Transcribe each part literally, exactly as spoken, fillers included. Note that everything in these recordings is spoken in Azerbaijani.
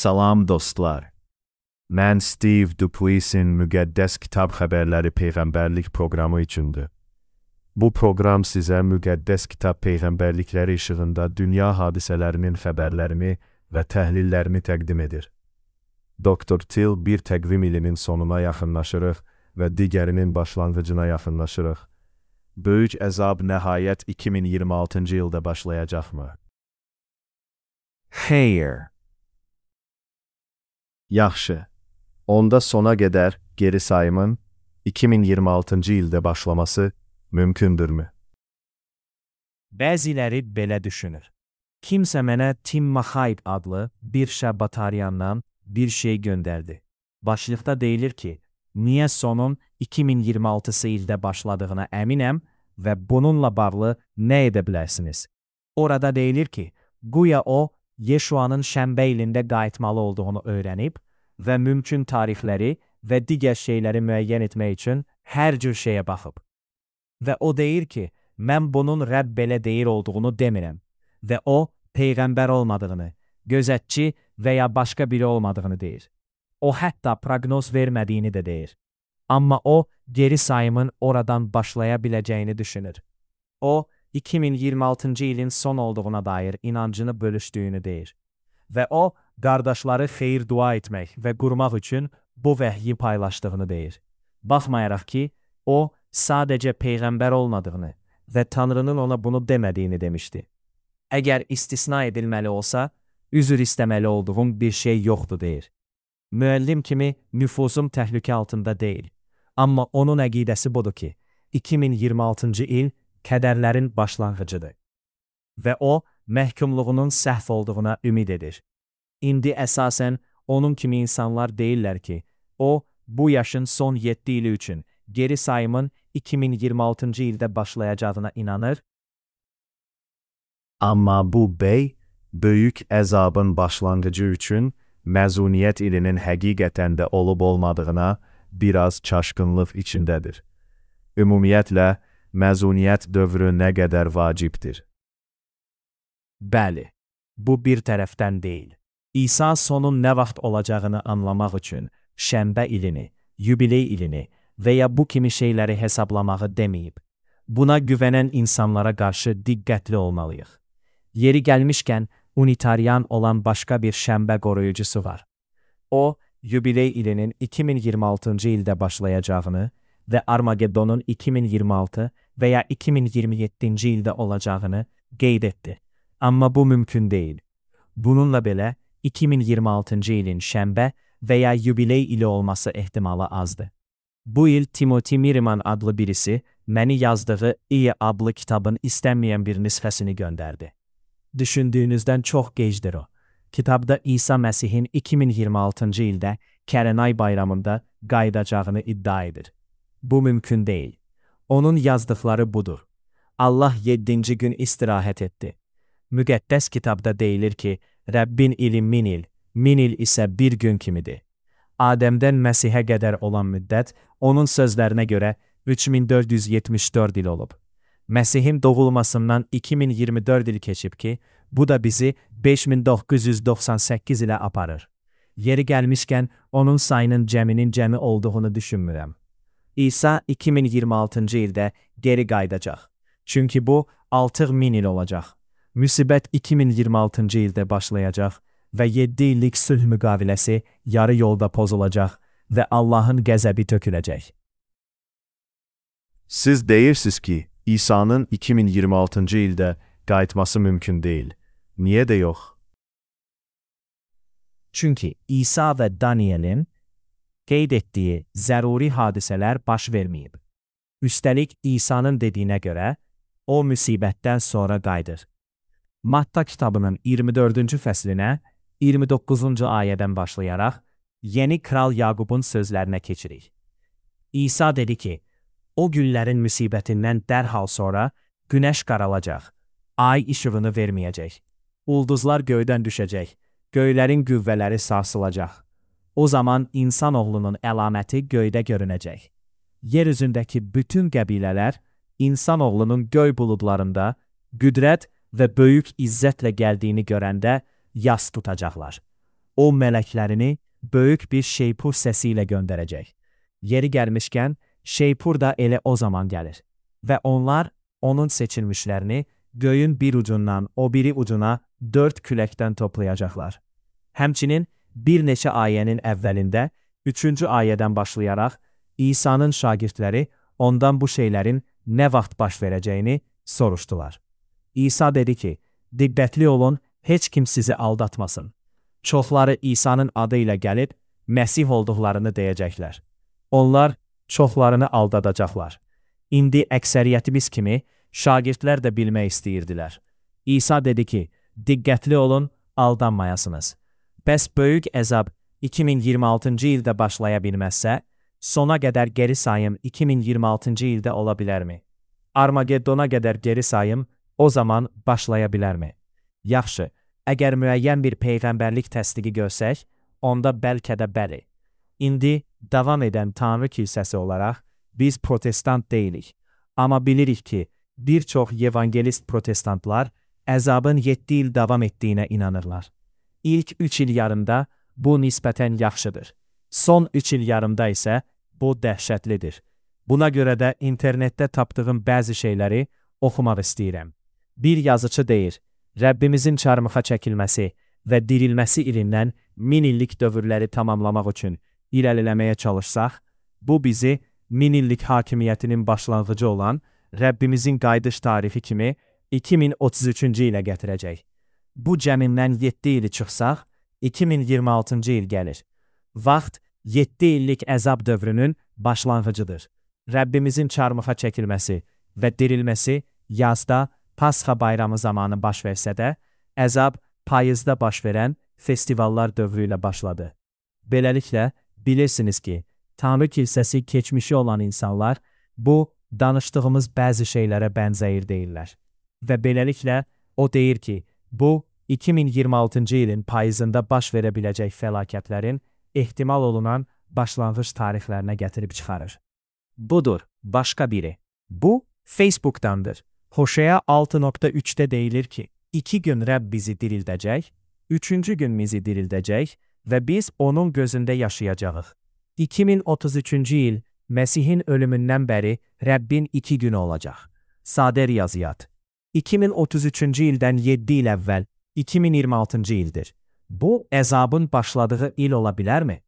Salam dostlar. Mən Steve Dupuis'in Müqəddəs Kitab Xəbərləri Peyğəmbərlik proqramı üçündür. Bu proqram sizə Müqəddəs Kitab Peyğəmbərlikləri işığında dünya hadisələrinin xəbərlərini və təhlillərini təqdim edir. doktor Till bir təqvim ilinin sonuna yaxınlaşırıq və digərinin başlanğıcına yaxınlaşırıq. Böyük əzab nəhayət iki min iyirmi altıncı ildə başlayacaqmı? Xeyr. Yaxşı. Onda sona qədər geri sayımın iki min iyirmi altıncı ildə başlaması mümkündürmü? Bəziləri belə düşünür. Kimsə mənə Tim Mahaib adlı bir şəbbataryandan bir şey göndərdi. Başlıqda deyilir ki, niyə sonun iki min iyirmi altısı ildə başladığına əminəm və bununla bağlı nə edə bilərsiniz? Orada deyilir ki, güya o, Yeşuanın şənbə ilində qayıtmalı olduğunu öyrənib və mümkün tarixləri və digər şeyləri müəyyən etmək üçün hər cür şeyə baxıb. Və o deyir ki, mən bunun Rəbb belə deyir olduğunu demirəm və o, peyğəmbər olmadığını, gözətçi və ya başqa biri olmadığını deyir. O, hətta proqnoz vermədiyini də deyir. Amma o, geri sayımın oradan başlaya biləcəyini düşünür. O, iki min iyirmi altıncı ilin son olduğuna dair inancını bölüşdüyünü deyir. Və o, qardaşları xeyir dua etmək və qurmaq üçün bu vəhyi paylaşdığını deyir. Baxmayaraq ki, o, sadəcə peyğəmbər olmadığını və Tanrının ona bunu demədiyini demişdi. Əgər istisna edilməli olsa, üzr istəməli olduğum bir şey yoxdur deyir. Müəllim kimi nüfuzum təhlükə altında deyil. Amma onun əqidəsi budur ki, iki min iyirmi altıncı il kədərlərin başlanğıcıdır. Və o, məhkumluğunun səhv olduğuna ümid edir. İndi əsasən onun kimi insanlar deyirlər ki, o, bu yaşın son yeddi ili üçün geri sayımın iki min iyirmi altıncı ildə başlayacağına inanır. Amma bu bəy, böyük əzabın başlanğıcı üçün məzuniyyət ilinin həqiqətən də olub-olmadığına biraz çaşqınlıq içindədir. Ümumiyyətlə, məzuniyyət dövrü nə qədər vacibdir? Bəli, bu bir tərəfdən deyil. İsa sonun nə vaxt olacağını anlamaq üçün şənbə ilini, yubiley ilini və ya bu kimi şeyləri hesablamağı deməyib. Buna güvənən insanlara qarşı diqqətli olmalıyıq. Yeri gəlmişkən, unitarian olan başqa bir şənbə qoruyucusu var. O, yubiley ilinin iki min iyirmi altıncı ildə başlayacağını və Armagedonun iki min iyirmi altı və ya iki min iyirmi yeddinci ildə olacağını qeyd etdi. Amma bu mümkün deyil. Bununla belə, iki min iyirmi altıncı ilin şənbə və ya yubiley ili olması ehtimalı azdır. Bu il Timothy Miriman adlı birisi məni yazdığı İyi adlı kitabın istənməyən bir nüsxəsini göndərdi. Düşündüyünüzdən çox gecdir o. Kitabda İsa Məsihin iki min iyirmi altıncı ildə Kərənay bayramında qayıdacağını iddia edir. Bu mümkün deyil. Onun yazdıqları budur. Allah yeddinci gün istirahət etdi. Müqəddəs kitabda deyilir ki, Rəbbin ili min il, min il isə bir gün kimidir. Adəmdən Məsihə qədər olan müddət, onun sözlərinə görə üç min dörd yüz yetmiş dörd il olub. Məsihin doğulmasından iki min iyirmi dörd il keçib ki, bu da bizi beş min doqquz yüz doxsan səkkiz ilə aparır. Yeri gəlmişkən, onun sayının cəminin cəmi olduğunu düşünmürəm. İsa iki min iyirmi altıncı ildə geri qayıdacaq. Çünki bu altı min il olacaq. Müsibət iki min iyirmi altıncı ildə başlayacaq və yeddi illik sülh müqaviləsi yarı yolda pozulacaq və Allahın qəzəbi töküləcək. Siz deyirsiniz ki, İsa'nın iki min iyirmi altıncı ildə qayıtması mümkün deyil. Niyə də yox? Çünki İsa və Danielin qeyd etdiyi zəruri hadisələr baş verməyib. Üstəlik, İsa'nın dediyinə görə, o müsibətdən sonra qayıdır. Matta kitabının iyirmi dördüncü fəslinə iyirmi doqquzuncu ayədən başlayaraq Yeni Kral Yaqubun sözlərinə keçirik. İsa dedi ki, o günlərin müsibətindən dərhal sonra günəş qaralacaq, ay işığını verməyəcək, ulduzlar göydən düşəcək, göylərin qüvvələri sarsılacaq. O zaman insanoğlunun əlaməti göydə görünəcək. Yer üzündəki bütün qəbilələr insanoğlunun göy buludlarında qüdrət və böyük izzətlə gəldiyini görəndə yas tutacaqlar. o mələklərini böyük bir şeypur səsi ilə göndərəcək. Yeri gəlmişkən, şeypur da elə o zaman gəlir və onlar onun seçilmişlərini göyün bir ucundan o biri ucuna dörd küləkdən toplayacaqlar. Həmçinin bir neçə ayənin əvvəlində, üçüncü ayədən başlayaraq, İsa'nın şagirdləri ondan bu şeylərin nə vaxt baş verəcəyini soruşdular. İsa dedi ki, diqqətli olun, heç kim sizi aldatmasın. Çoxları İsa'nın adı ilə gəlib, Məsih olduqlarını deyəcəklər. Onlar çoxlarını aldadacaqlar. İndi əksəriyyətimiz kimi şagirdlər də bilmək istəyirdilər. İsa dedi ki, diqqətli olun, aldanmayasınız. Bəs böyük əzab iki min iyirmi altıncı ildə başlaya bilməzsə, sona qədər geri sayım iki min iyirmi altıncı ildə ola bilərmi? Armagedona qədər geri sayım o zaman başlaya bilərmi? Yaxşı, əgər müəyyən bir peyğəmbərlik təsdiqi görsək, onda bəlkə də bəli. İndi davam edən Tanrı kilsəsi olaraq biz protestant deyilik. Amma bilirik ki, bir çox evangelist protestantlar əzabın yeddi il davam etdiyinə inanırlar. İlk üç il yarımda bu nisbətən yaxşıdır. Son üç il yarımda isə bu dəhşətlidir. Buna görə də internetdə tapdığım bəzi şeyləri oxumaq istəyirəm. Bir yazıçı deyir, Rəbbimizin çarmıxa çəkilməsi və dirilməsi ilindən min illik dövrləri tamamlamaq üçün irəliləməyə çalışsaq, bu bizi min illik hakimiyyətinin başlanğıcı olan Rəbbimizin qayıdış tarixi kimi iki min otuz üçüncü ilə gətirəcək. Bu cəmindən yeddi ili çıxsaq, iki min iyirmi altıncı il gəlir. Vaxt yeddi illik əzab dövrünün başlanğıcıdır. Rəbbimizin çarmıxa çəkilməsi və dirilməsi yazda Pasxa bayramı zamanı baş versə də, əzab payızda baş verən festivallar dövrü ilə başladı. Beləliklə, bilirsiniz ki, Tanrı kilsəsi keçmişi olan insanlar bu danışdığımız bəzi şeylərə bənzəyir deyirlər. Və beləliklə, o deyir ki, bu iki min iyirmi altıncı ilin payızında baş verə biləcək fəlakətlərin ehtimal olunan başlanğıc tarixlərinə gətirib çıxarır. Budur, başqa biri. Bu, Facebook'dandır. Hoşea altı nöqtə üçdə deyilir ki, iki gün Rəbb bizi dirildəcək, üçüncü gün bizi dirildəcək və biz onun gözündə yaşayacağıq. iki min otuz üçüncü il Məsihin ölümündən bəri Rəbbin iki günü olacaq. Sadə riyaziyyat. iki min otuz üçüncü ildən yeddi il əvvəl iki min iyirmi altıncı ildir. Bu, əzabın başladığı il ola bilərmi?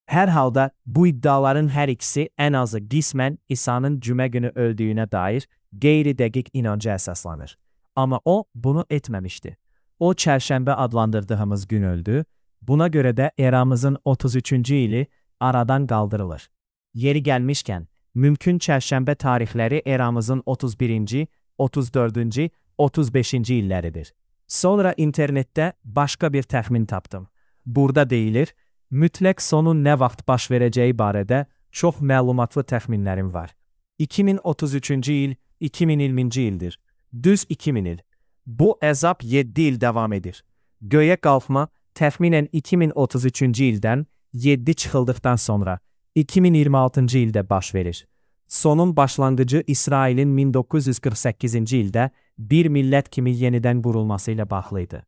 Hər halda bu iddiaların hər ikisi ən azı qismən İsa'nın cümə günü öldüyünə dair qeyri-dəqiq inanca əsaslanır. Amma o, bunu etməmişdi. O, çərşənbə adlandırdığımız gün öldü, buna görə də eramızın otuz üçüncü ili aradan qaldırılır. Yeri gəlmişkən, mümkün çərşənbə tarixləri eramızın otuz birinci, otuz dördüncü, otuz beşinci illəridir. Sonra internetdə başqa bir təxmin tapdım. Burada deyilir, mütləq sonun nə vaxt baş verəcəyi barədə çox məlumatlı təxminlərim var. iki min otuz üçüncü il, iki min iyirminci ildir. Düz iki min il. Bu əzab yeddi il davam edir. Göyə qalxma təxminən iki min otuz üçüncü ildən yeddi çıxıldıqdan sonra iki min iyirmi altıncı ildə baş verir. Sonun başlanğıcı İsrailin min doqquz yüz qırx səkkizinci ildə bir millət kimi yenidən qurulması ilə bağlıydı.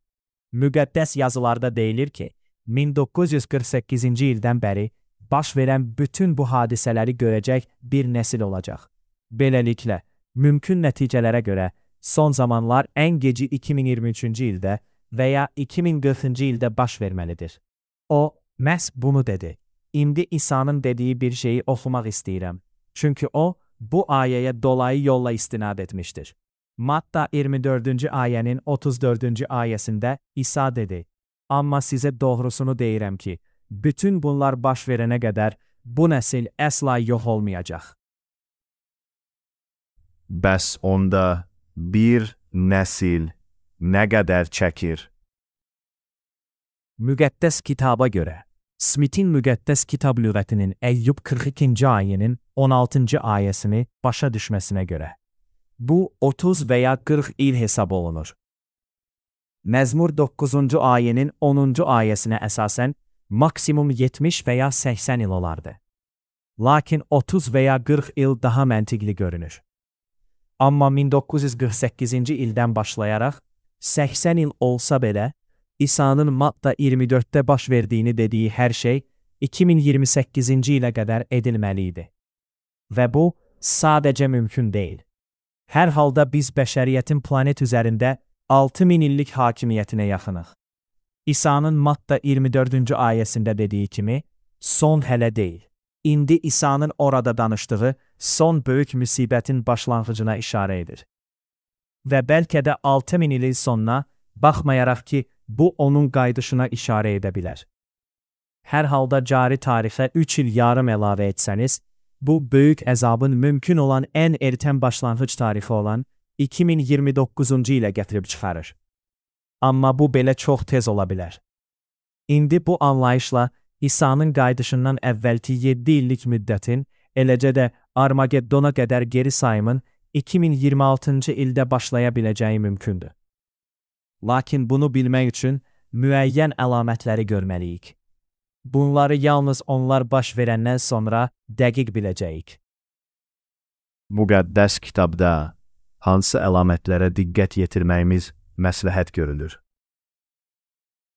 Müqəddəs yazılarda deyilir ki, min doqquz yüz qırx səkkizinci ildən bəri baş verən bütün bu hadisələri görəcək bir nəsil olacaq. Beləliklə, mümkün nəticələrə görə son zamanlar ən geci iki min iyirmi üçüncü ildə və ya iki min qırxıncı ildə baş verməlidir. O, məhz bunu dedi. İndi İsa'nın dediyi bir şeyi oxumaq istəyirəm. Çünki o, bu ayəyə dolayı yolla istinad etmişdir. Matta iyirmi dördüncü ayənin otuz dördüncü ayəsində İsa dedi, amma sizə doğrusunu deyirəm ki, bütün bunlar baş verənə qədər bu nəsil əsla yox olmayacaq. Bəs onda bir nəsil nə qədər çəkir? Müqəddəs kitaba görə, Smith'in müqəddəs kitab lüğətinin Əyyub qırx ikinci ayənin on altıncı ayəsini başa düşməsinə görə. Bu, otuz və ya qırx il hesab olunur. Məzmur doqquzuncu ayənin onuncu ayəsinə əsasən maksimum yetmiş və ya səksən il olardı. Lakin otuz və ya qırx il daha məntiqli görünür. Amma min doqquz yüz qırx səkkizinci ildən başlayaraq səksən il olsa belə, İsa'nın Matta iyirmi dörddə baş verdiğini dediği her şey iki min iyirmi səkkizinci ilə qədər edilməliydi. Və bu sadəcə mümkün deyil. Hər halda biz bəşəriyyətin planet üzərində altı min illik hakimiyyətinə yaxınıq. İsa'nın Matta iyirmi dördüncü ayəsində dediyi kimi, son hələ deyil. İndi İsa'nın orada danışdığı son böyük müsibətin başlanğıcına işarə edir. Və bəlkə də altı min ilin sonuna, baxmayaraq ki, bu onun qayıdışına işarə edə bilər. Hər halda cari tarixə üç il yarım əlavə etsəniz, bu böyük əzabın mümkün olan ən ertən başlanğıc tarixi olan iki min iyirmi doqquzuncu ilə gətirib çıxarır. Amma bu belə çox tez ola bilər. İndi bu anlayışla İsa'nın qayıdışından əvvəlki yeddi illik müddətin, eləcə də Armageddona qədər geri sayımın iki min iyirmi altıncı ildə başlaya biləcəyi mümkündür. Lakin bunu bilmək üçün müəyyən əlamətləri görməliyik. Bunları yalnız onlar baş verəndən sonra dəqiq biləcəyik. Müqəddəs kitabda hansı əlamətlərə diqqət yetirməyimiz məsləhət görülür?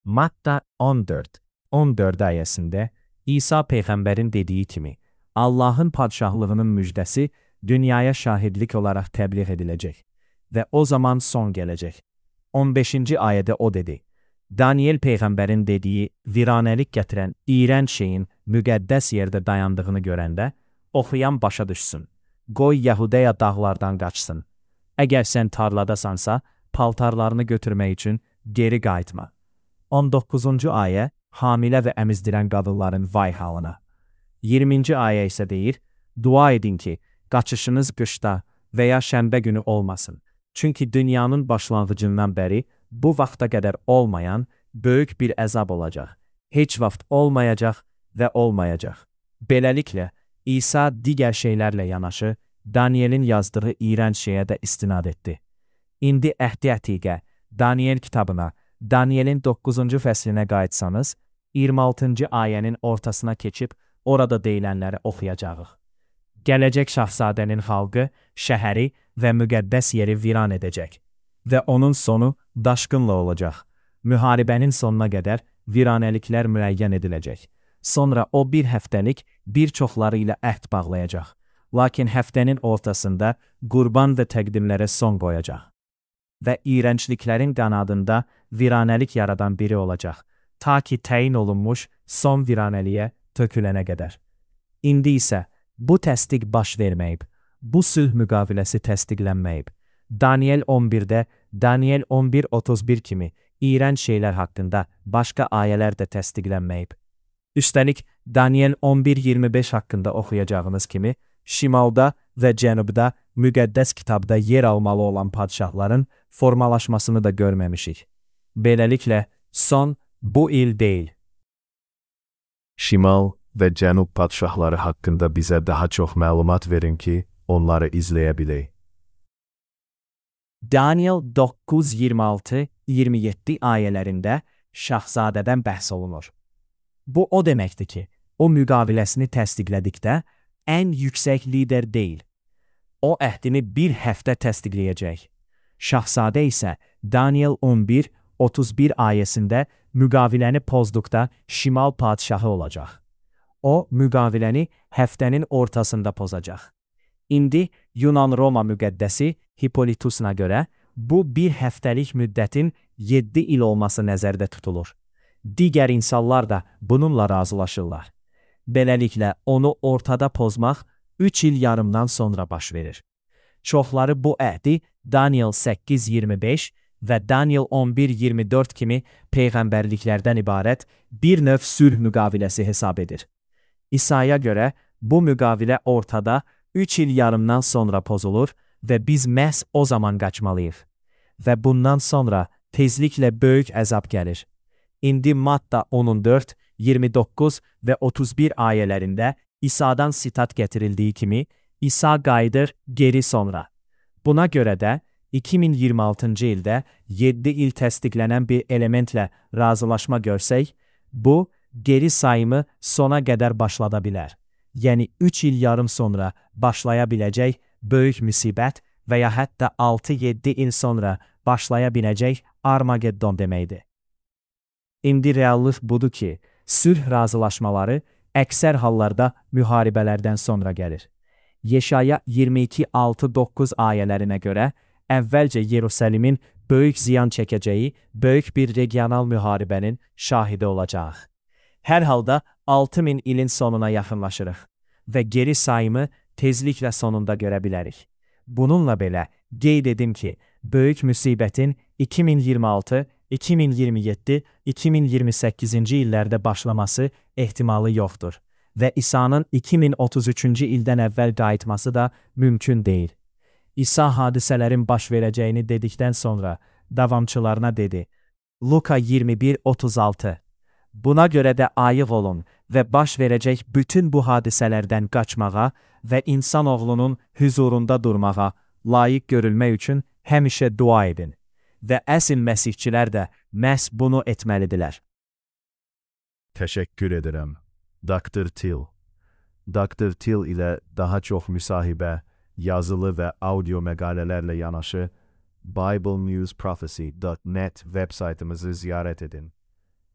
Matta on dörd on dörd ayəsində İsa Peyğəmbərin dediyi kimi, Allahın padşahlığının müjdəsi dünyaya şahidlik olaraq təbliğ ediləcək və o zaman son gələcək. on beşinci ayədə o dedi, Daniel Peyğəmbərin dediyi viranəlik gətirən iyrənc şeyin müqəddəs yerdə dayandığını görəndə, oxuyan başa düşsün, qoy Yahudiya dağlardan qaçsın. Əgər sən tarladasansa, paltarlarını götürmək üçün geri qayıtma. on doqquzuncu ayə, hamilə və əmizdirən qadınların vay halına. iyirminci ayə isə deyir, dua edin ki, qaçışınız qışda və ya şənbə günü olmasın. Çünki dünyanın başlanğıcından bəri bu vaxta qədər olmayan böyük bir əzab olacaq. Heç vaxt olmayacaq və olmayacaq. Beləliklə, İsa digər şeylərlə yanaşı, Danielin yazdığı iyrənc şeyə də istinad etdi. İndi əhdi ətiqə, Daniel kitabına, Danielin doqquzuncu fəslinə qayıtsanız, iyirmi altıncı ayənin ortasına keçib orada deyilənləri oxuyacağıq. Gələcək şahzadənin xalqı, şəhəri və müqəddəs yeri viran edəcək və onun sonu daşqınla olacaq. Müharibənin sonuna qədər viranəliklər müəyyən ediləcək. Sonra o bir həftəlik bir çoxları ilə əhd bağlayacaq. Lakin həftənin ortasında qurban və təqdimlərə son qoyacaq. Və iyrəncliklərin qanadında viranəlik yaradan biri olacaq, ta ki təyin olunmuş son viranəliyə tökülənə qədər. İndi isə bu təsdiq baş verməyib, bu sülh müqaviləsi təsdiqlənməyib. Daniel on birdə, Daniel on bir otuz bir kimi iyrənc şeylər haqqında başqa ayələr də təsdiqlənməyib. Üstəlik, Daniel on bir iyirmi beş haqqında oxuyacağınız kimi, şimalda və cənubda müqəddəs kitabda yer almalı olan padşahların formalaşmasını da görməmişik. Beləliklə, son bu il deyil. Şimal və cənub padşahları haqqında bizə daha çox məlumat verin ki, onları izləyə bilək. Daniel doqquz iyirmi altı iyirmi yeddi ayələrində şahzadədən bəhs olunur. Bu o deməkdir ki, o müqaviləsini təsdiqlədikdə ən yüksək lider deyil. O əhdini bir həftə təsdiqləyəcək. Şahzadə isə Daniel on bir otuz bir ayəsində müqaviləni pozduqda şimal padşahı olacaq. O, müqaviləni həftənin ortasında pozacaq. İndi Yunan-Roma müqəddəsi Hippolytusuna görə bu bir həftəlik müddətin yeddi il olması nəzərdə tutulur. Digər insanlar da bununla razılaşırlar. Beləliklə, onu ortada pozmaq üç il yarımdan sonra baş verir. Çoxları bu əhdi Daniel səkkiz iyirmi beş və Daniel on bir iyirmi dörd kimi peyğəmbərliklərdən ibarət bir növ sülh müqaviləsi hesab edir. İsa'ya görə bu müqavilə ortada üç il yarımdan sonra pozulur və biz məhz o zaman qaçmalıyıq. Və bundan sonra tezliklə böyük əzab gəlir. İndi Matta on dörd, iyirmi doqquz və otuz bir ayələrində İsa'dan sitat gətirildiyi kimi, İsa qayıdır geri sonra. Buna görə də iki min iyirmi altıncı ildə yeddi il təsdiqlənən bir elementlə razılaşma görsək, bu, geri sayımı sona qədər başlada bilər. Yəni üç il yarım sonra başlaya biləcək böyük müsibət və ya hətta altı yeddi il sonra başlaya biləcək Armageddon deməkdir. İndi reallıq budur ki, sülh razılaşmaları əksər hallarda müharibələrdən sonra gəlir. Yeşaya iyirmi iki altı doqquz ayələrinə görə, əvvəlcə Yerusəlimin böyük ziyan çəkəcəyi böyük bir regional müharibənin şahidi olacaq. Hər halda altı min ilin sonuna yaxınlaşırıq və geri sayımı tezliklə sonunda görə bilərik. Bununla belə, qeyd edim ki, böyük müsibətin iki min iyirmi altı, iki min iyirmi yeddi, iki min iyirmi səkkizinci illərdə başlaması ehtimalı yoxdur və İsa'nın iki min otuz üçüncü ildən əvvəl qayıtması da mümkün deyil. İsa hadisələrin baş verəcəyini dedikdən sonra davamçılarına dedi. Luka iyirmi bir otuz altı. Buna görə də ayıq olun və baş verəcək bütün bu hadisələrdən qaçmağa və insanoğlunun hüzurunda durmağa, layiq görülmək üçün həmişə dua edin. Və əsl məsihçilər də məhz bunu etməlidirlər. Teşekkür ederim. doktor Till. doktor Till ile daha çok müsahibə, yazılı ve audio məqalələrlə yanaşı bible news prophecy dot net web saytımızı ziyaret edin.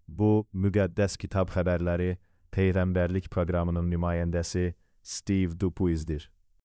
Bu, Müqəddəs Kitab Xəbərləri Peyğəmbərlik proqramının nümayəndəsi Steve Dupuis'dir.